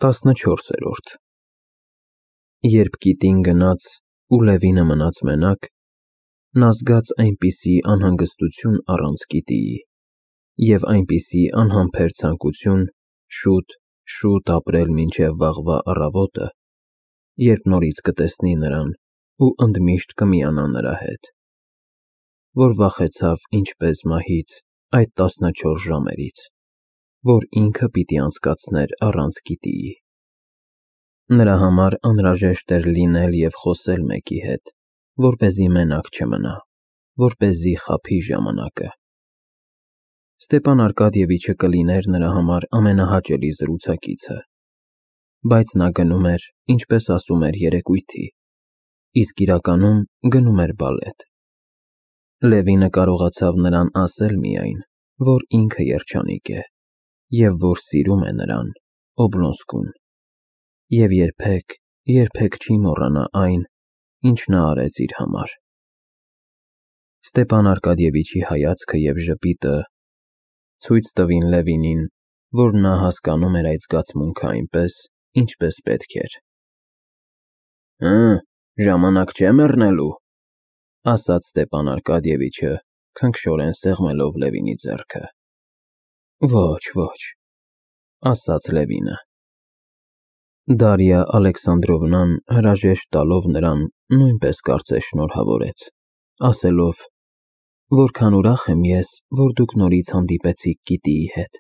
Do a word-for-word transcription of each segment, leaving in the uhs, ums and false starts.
տասնչորսերորդ Երբ կիտին գնաց ու Լևինը մնաց մենակ, նա զգաց այնպիսի անհանգստություն առանց կիտիի և այնպիսի անհամբեր ցանկություն շուտ, շուտ ապրել մինչև վաղվա առավոտը, երբ նորից կտեսնի նրան ու ընդմիշտ կմիանա նրա հետ, որ վախեցավ ինչպես մահից այդ տասնչորս ժամերից, որ ինքը պիտի անցկացներ առանց կիտիի։ Նրա համար անհրաժեշտ էր լինել և խոսել մեկի հետ, որպեսզի մենակ չմնա, որպեսզի խաբի ժամանակը։ Ստեփան Արկադիևիչը կլիներ նրա համար ամենահաճելի զրուցակիցը, բայց նա գնում էր, ինչպես ասում էր, երեկույթի, իսկ իրականում գնում էր բալետ։ Լևինը կարողացավ նրան ասել միայն, որ ինքը երջանիկ է և որ սիրում է նրան, Օբլոնսկուն, և երբեք, երբեք չի մոռանա այն, ինչ նա արեց իր համար։ Ստեփան Արկադիևիչի հայացքը և ժպիտը ցույց տվին Լևինին, որ նա հասկանում էր այդ զգացմունքը այնպես, ինչպես պետք էր։ «Հը, ժամանակ չէ մեռնելու», ասաց Ստեփան Արկադիևիչը, քնքշորեն սեղմելով Լևինի ձեռքը։ «Ոչ, ոչ», ասաց Լևինը։ Դարիա Ալեքսանդրովնան հրաժեշտ տալով նրան նույնպես կարծես շնորհավորեց, ասելով. «Որքան ուրախ եմ ես, որ դուք նորից հանդիպեցիք գիտիի հետ։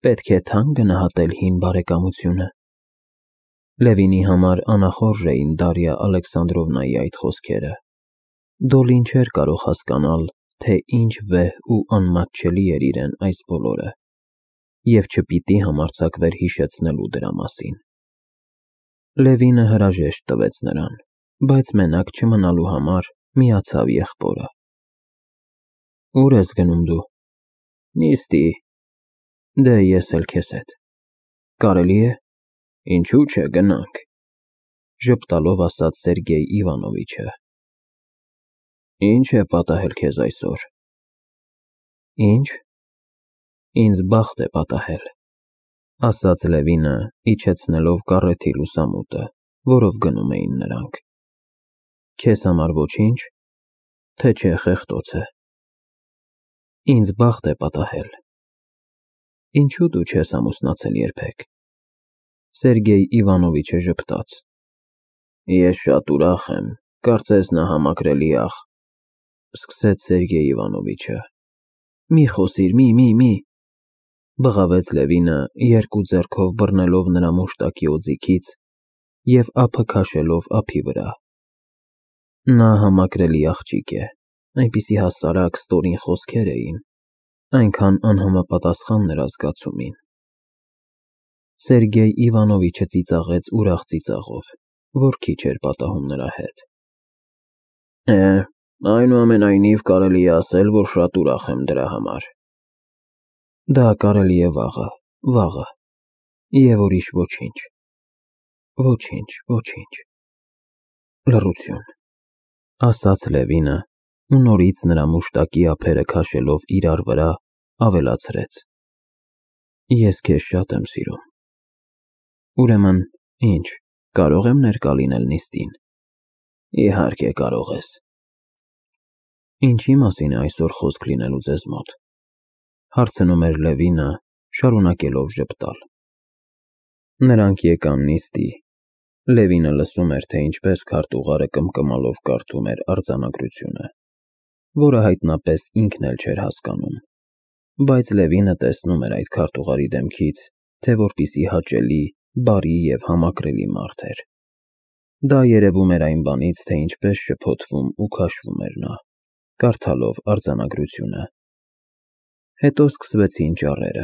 Պետք է թանկ գնահատել հին բարեկամությունը»։ Լևինի համար անախորժ էին Դարիա Ալեքսանդրովնայի այդ խոսքերը։ Դոլին չէր կարող հասկանալ, թե ինչ վեհ ու անմատչելի էր իրեն այս բոլորը, և չպիտի համարձակվեր հիշեցնելու դրա մասին։ Լևինը հրաժեշտ տվեց նրան, բայց մենակ չմնալու համար միացավ եղբորը։ «Ո՞ւր ես գնում դու»։ «Նիստի»։ «Դե ես էլ քեզ հետ»։ «Կարելի է»։ «Ինչու՞ չէ, գնանք», ժպտալով ասաց Սերգեյ Իվանովիչը։ «Ի՞նչ է պատահել քեզ այսօր»։ «Ի՞նչ։ Ինձ բախտ է պատահել», ասաց Լևինը, իջեցնելով կառեթի լուսամուտը, որով գնում էին նրանք։ «Քեզ համար ոչի՞նչ, թե չէ խեղդոց է»։ «Ինձ բախտ է պատահել»։ «Ինչու դու չես ամուսնացել երբեք»։ Սերգեյ Իվանովիչը ժպտաց։ «Ես շատ ուրախ եմ, կարծես նա համակրելի աղ», սկսեց Սերգեյ Իվանովիչը։ «Մի խոսիր, մի, մի, մի», բղավեց Լևինը, երկու ձեռքով բռնելով նրա մուշտակի օձիքից և ափը քաշելով ափի վրա։ Նա համակրելի աղջիկ է, այնպիսի հասարակ, ստորին խոսքեր էին, այնքան անհամապատասխան նրա զգացումին։ Սերգեյ Իվանովիչը ծիծաղեց ուրախ ծիծաղով, որ քիչ էր պատահում նրա հետ։ «Է, այնուամենայնիվ կարելի է ասել, որ շատ ուրախ եմ դրա համար»։ «Դա կարելի է վաղը, վաղը, և ուրիշ ոչինչ»։ «Ոչինչ, ոչինչ»։ Լռություն, ասաց Լևինը ու նորից նրա մուշտակի ափերը քաշելով իրար վրա, ավելացրեց. «Ես քեզ շատ եմ սիրում»։ «Ուրեմն, ինչ, կարո՞ղ եմ ներկա լինել նիստին»։ «Իհարկե կարող ես»։ «Ինչի մասին է այսօր խոսք լինելու ձեզ մոտ»։ Հարցնում էր Լևինը, շարունակելով ժպտալ։ Նրանք եկան նիստի։ Լևինը լսում էր, թե ինչպես քարտուղարը կմկմալով կարդում էր արձանագրությունը, որը հայտնապես ինքն էլ չէր հասկանում, բայց Լևինը տեսնում էր այդ քարտուղարի դեմքից, թե որպիսի հաճելի, բարի և համակրելի մարդ էր։ Դա երևում էր այն բանից, թե ինչպես շփոթվում ու քաշվում էր նա, կարդալով արձանագրությունը։ Հետո սկսվեցին ճառերը,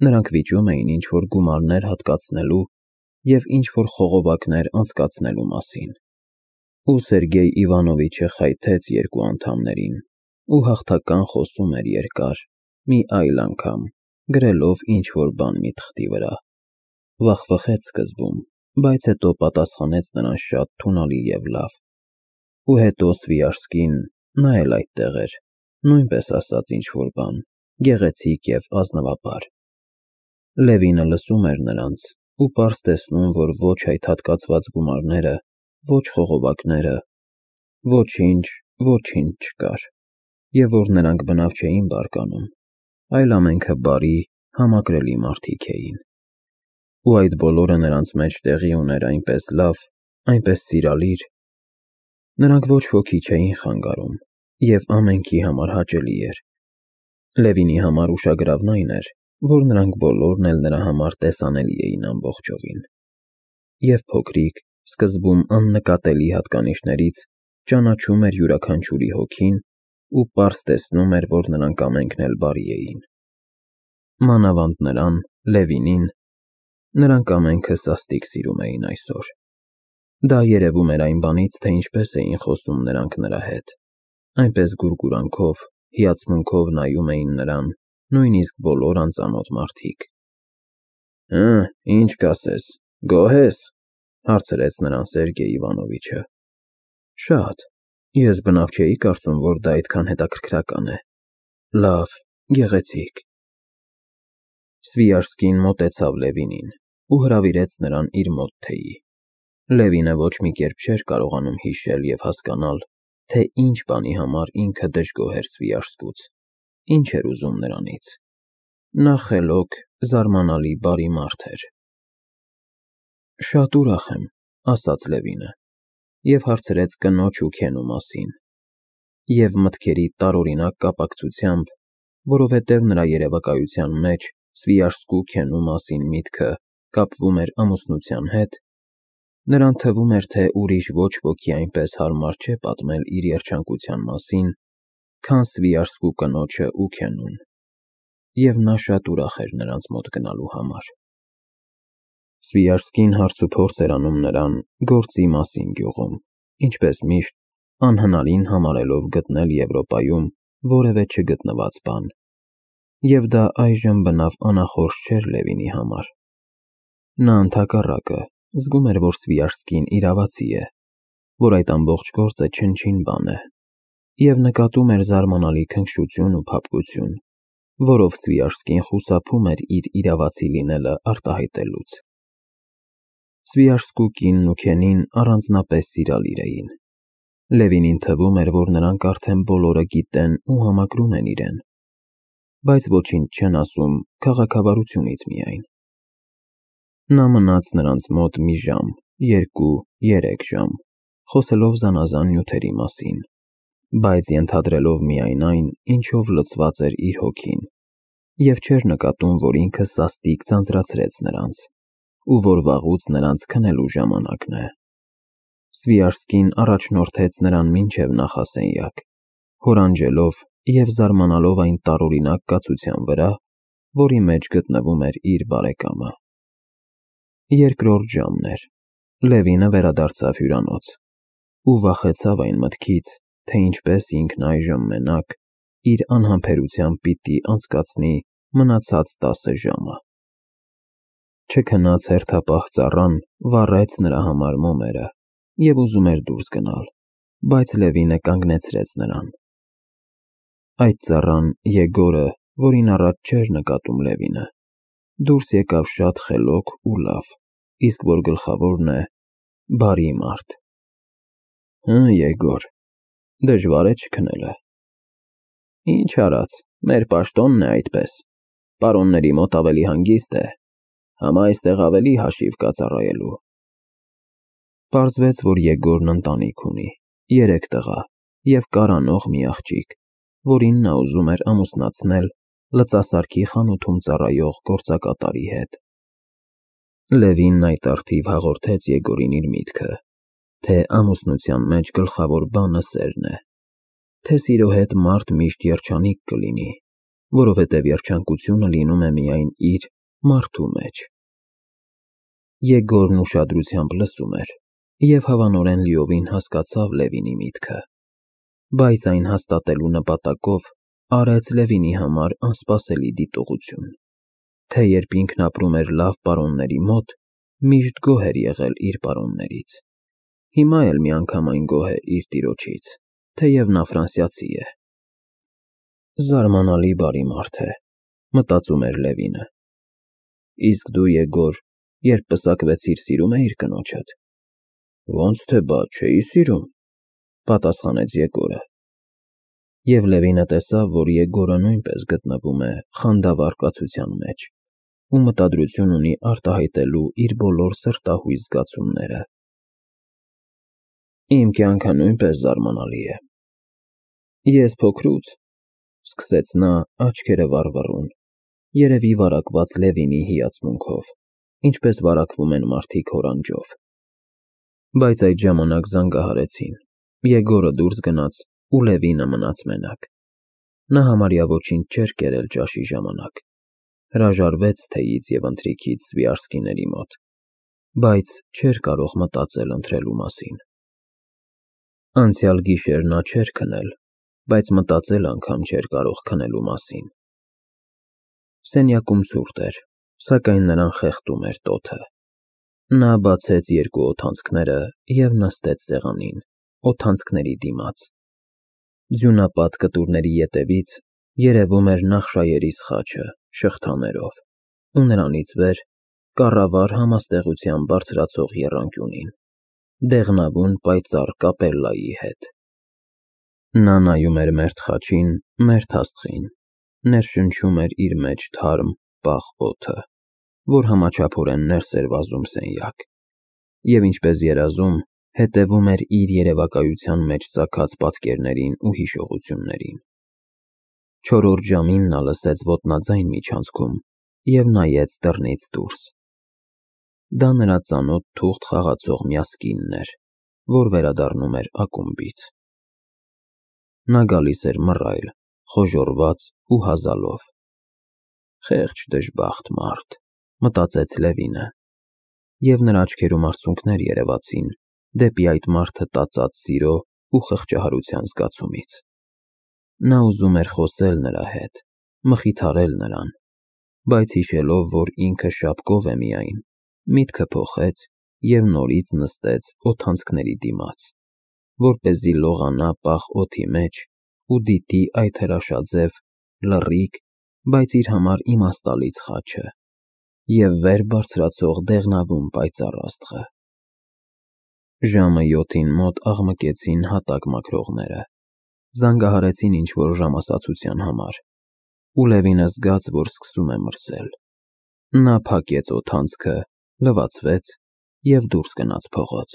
նրանք վիճում էին ինչ-որ գումարներ հատկացնելու և ինչ-որ խողովակներ անցկացնելու մասին, ու Սերգեյ Իվանովիչը խայթեց երկու անդամներին ու հաղթական խոսում էր երկար, մի այլ անգամ, գրելով ինչ-որ բան մի թղթի վրա։ Վախվխեց սկզբում, բայց հետո պատասխանեց նրան շատ թունալի և լավ։ Ու հետո Սվիաժսկին, նա էլ այդտեղ էր, նույնպես ասաց ինչ-որ բան, գեղեցիկ և ազնվաբար։ Լևինը լսում էր նրանց ու պարզ տեսնում, որ ոչ այդ հատկացված գումարները, ոչ խողովակները, ոչինչ, ոչինչ չկար, և որ նրանք բնավ չէին բարկանում, այլ ամենքը բարի, համակրելի մարդիկ էին։ Ու այդ բոլորը նրանց մեջ տեղի ուներ այնպես լավ, այնպես սիրալիր։ Նրանք ոչ ոքի չէին խանգարում, և ամենքի համար հաճելի էր։ Լևինի համար ուշագրավն այն էր, որ նրանք բոլորն էլ նրա համար տեսանելի էին ամբողջովին։ Եվ փոքրիկ, սկզբում աննկատելի հատկանիշներից ճանաչում էր յուրաքանչյուրի հոգին ու պարզ տեսնում էր, որ նրանք ամենքն էլ բարի էին։ Մանավանդ նրան, Լևինին, նրանք ամենքը սաստիկ սիրում էին այսօր։ Դա երևում էր այն բանից, թե ինչպես էին խոսում նրանք նրա հետ, այնպես գուրգուրանքով, հիացմունքով նայում էին նրան, նույնիսկ բոլոր անծանոթ մարդիկ։ «Հը, ինչ կասես, գոհ ես,- հարցրեց նրան Սերգեյ Իվանովիչը։ Շատ, ես բնավ չէի կարծում, որ դա այդքան հետաքրքրական է։ Լավ, գեղեցիկ։ Սվիաշկին մոտեցավ Լևինին ու հրավիրեց նրան իր մոտ թեյի։ Լևինը ոչ մի կերպ չէր կարողանում հիշել և հասկանալ, թե ինչ բանի համար ինքը դժգոհ էր Սվիաշկուց, ինչ էր ուզում նրանից։ Նա խելոք, զարմանալի բարի մարդ էր։ Շատ ուրախ եմ,- ասաց Լևինը և հարցրեց կնոջ ու Քենու մասին, և մտքերի տարօրինակ կապակցությամբ, որովհետև նրա երևակայության մեջ Սվիաշկու Քենու մասին միտքը կապվում էր ամուսնության հետ, նրան թվում էր, թե ուրիշ ոչ ոքի այնպես հարմար չէ պատմել իր երջանկության մասին, քան Սվիաշկու կնոջը ու Քենուն, և նա շատ ուրախ էր նրանց մոտ գնալու համար։ Սվիաշկին հարցուփորձ էր անում նրան գործի մասին գյուղում, ինչպես միշտ, անհնարին համարելով գտնել Եվրոպայում որևէ չգտնված բան, և դա այժմ բնավ անախորժ չէր Լևինի համար։ Նա ընդհակառակը զգում էր, որ Սվիաշկին իրավացի է, որ այդ ամբողջ գործը չնչին բան է, և նկատում էր զարմանալի քնքշություն ու փափկություն, որով Սվիաշկին խուսափում էր իր իրավացի լինելը արտահայտելուց։ Սվիաշկու կինն ու Քենին առանձնապես սիրալիր էին։ Լևինին թվում էր, որ նրանք արդեն բոլորը գիտեն ու համակրում են իրեն, բայց ոչինչ չեն ասում քաղաքավարությունից միայն։ Նա մնաց նրանց մոտ մի ժամ, երկու, երեք ժամ, խոսելով զանազան նյութերի մասին, բայց ենթադրելով միայն այն, ինչով լցված էր իր հոգին, և չէր նկատում, որ ինքը սաստիկ ձանձրացրեց նրանց, ու որ վաղուց նրանց քնելու ժամանակն է։ Սվիաշկին առաջնորդեց նրան մինչև նախասենյակ, հորանջելով և զարմանալով այն տարօրինակ կացության վրա, որի մեջ գտնվում էր իր բարեկամը։ Երկրորդ ժամն էր, Լևինը վերադարձավ հյուրանոց ու վախեցավ այն մտքից, թե ինչպես ինքն այժմ մենակ իր անհամբերությամբ պիտի անցկացնի մնացած տասը ժամը։ Չքնած հերթապահ ծառան վառեց նրա համար մոմերը և ուզում էր դուրս գնալ, բայց Լևինը կանգնեցրեց նրան։ Այդ ծառան՝ Եգորը, որին առաջ չէր նկատում Լևինը, դուրս եկավ շատ խելոք ու լավ, իսկ որ գլխավորն է՝ բարի մարդ։ Հը, Եգոր, դժվար է չքնելը։ Ինչ արած, մեր պաշտոնն է այդպես, պարոնների մոտ ավելի հանգիստ է, համա այստեղ ավելի հաշիվ կա ծառայելու։ Պարզվեց, որ Եգորն ընտանիք ունի, երեք տղա և կարանող մի աղջիկ, որին նա ուզում էր ամուսնացնել լծասարքի խանութում ծառայող գործակատարի հետ։ Լևինն այդ առթիվ հաղորդեց Եգորին իր միտքը, թե ամուսնության մեջ գլխավոր բանը սերն է, թե սիրո հետ մարդ միշտ երջանիկ կլինի, որովհետև երջանկությունը լինում է միայն իր՝ մարդու մեջ։ Եգորն ուշադրությամբ լսում էր և հավանորեն լիովին հասկացավ Լևինի միտքը, բայց այն հաստատելու նպատակով արեց Լևինի համար անսպասելի դիտողություն, թե երբ ինքն ապրում էր լավ պարոնների մոտ, միշտ գոհ էր եղել իր պարոններից, հիմա էլ միանգամայն գոհ է իր տիրոջից, թեև նա ֆրանսիացի է։ Զարմանալի բարի մարդ է, մտածում էր Լևինը։ Իսկ դու, Եգոր, երբ պսակվեցիր, սիրում էիր կնոջդ։ Ոնց թե բա չէի սիրում, պատասխանեց Եգորը։ Եվ Լևինը տեսավ, որ Եգորը նույնպես գտնվում է խանդավառ կացության մեջ ու մտադրություն ունի արտահայտելու իր բոլոր սրտահույս զգացումները։ Իմ կյանքը նույնպես զարմանալի է։ Ես փոքրուց, սկսեց նա աչքերը վառվռուն, երևի վարակված Լևինի հիացմունքով, ինչպես վարակվում են մարդիկ հորանջով։ Բայց այդ ժամանակ զանգահարեցին, Եգորը դուրս գնաց ու Լևինը մնաց մենակ։ Նա համարյա ոչինչ չէր կերել ճաշի ժամանակ, հրաժարվեց թեյից և ընթրիքից Սվիարսկիների մոտ, բայց չէր կարող մտածել ընթրելու մասին։ Անցյալ գիշեր նա չէր քնել, բայց մտածել անգամ չէր կարող քնելու մասին։ Սենյակում ցուրտ էր, սակայն նրան խեղդում էր տոթը։ Նա բացեց երկու օդանցքները և նստեց սեղանին, օդանցքների դիմաց։ Ձյունապատ կտուրների ետևից երևում էր նախշայերի սխաչը շղթաներով, ու նրանից վեր կառավար համաստեղության բարձրացող եռանկյունին, դեղնավուն պայծառ կապելլայի հետ։ Նա նայում էր մերթ խաչին, մերթ աստղին, ներշնչում էր իր մեջ թարմ, պաղ օդը, որ համաչափորեն ներս էր վազում սենյակ, և ինչպես երազում, հետևում էր իր երևակայության մեջ ծագած պատկերներին ու հիշողություններին։ Չորրորդ ժամին նա լսեց ոտնաձայն միջանցքում և նայեց դռնից դուրս։ Դա նրա ծանոթ թուղթ խաղացող միասկինն էր, որ վերադառնում էր ակումբից։ Նա գալիս էր մռայլ, խոժոռված ու հազալով։ Խեղճ դժբախտ մարդ, մտածեց Լևինը, և նրա աչքերում արցունքներ երևացին դեպի այդ մարդը տածած սիրո ու խղճահարության զգացումից։ Նա ուզում էր խոսել նրա հետ, մխիթարել նրան, բայց հիշելով, որ ինքը շապկով է միայն, միտքը փոխեց և նորից նստեց օդանցքների դիմաց, որպեսզի լողանա պաղ օդի մեջ ու դիտի այդ հրաշաձև, լռիկ, բայց իր համար իմաստալից խաչը և վեր բարձրացող դեղնավուն պայծառ աստղը։ Ժամը յոթին մոտ աղմկեցին հատակ մաքրողները, զանգահարեցին ինչ-որ ժամասացության համար, ու Լևինը զգաց, որ սկսում է մրսել։ Նա փակեց օդանցքը, լվացվեց և դուրս գնաց փողոց։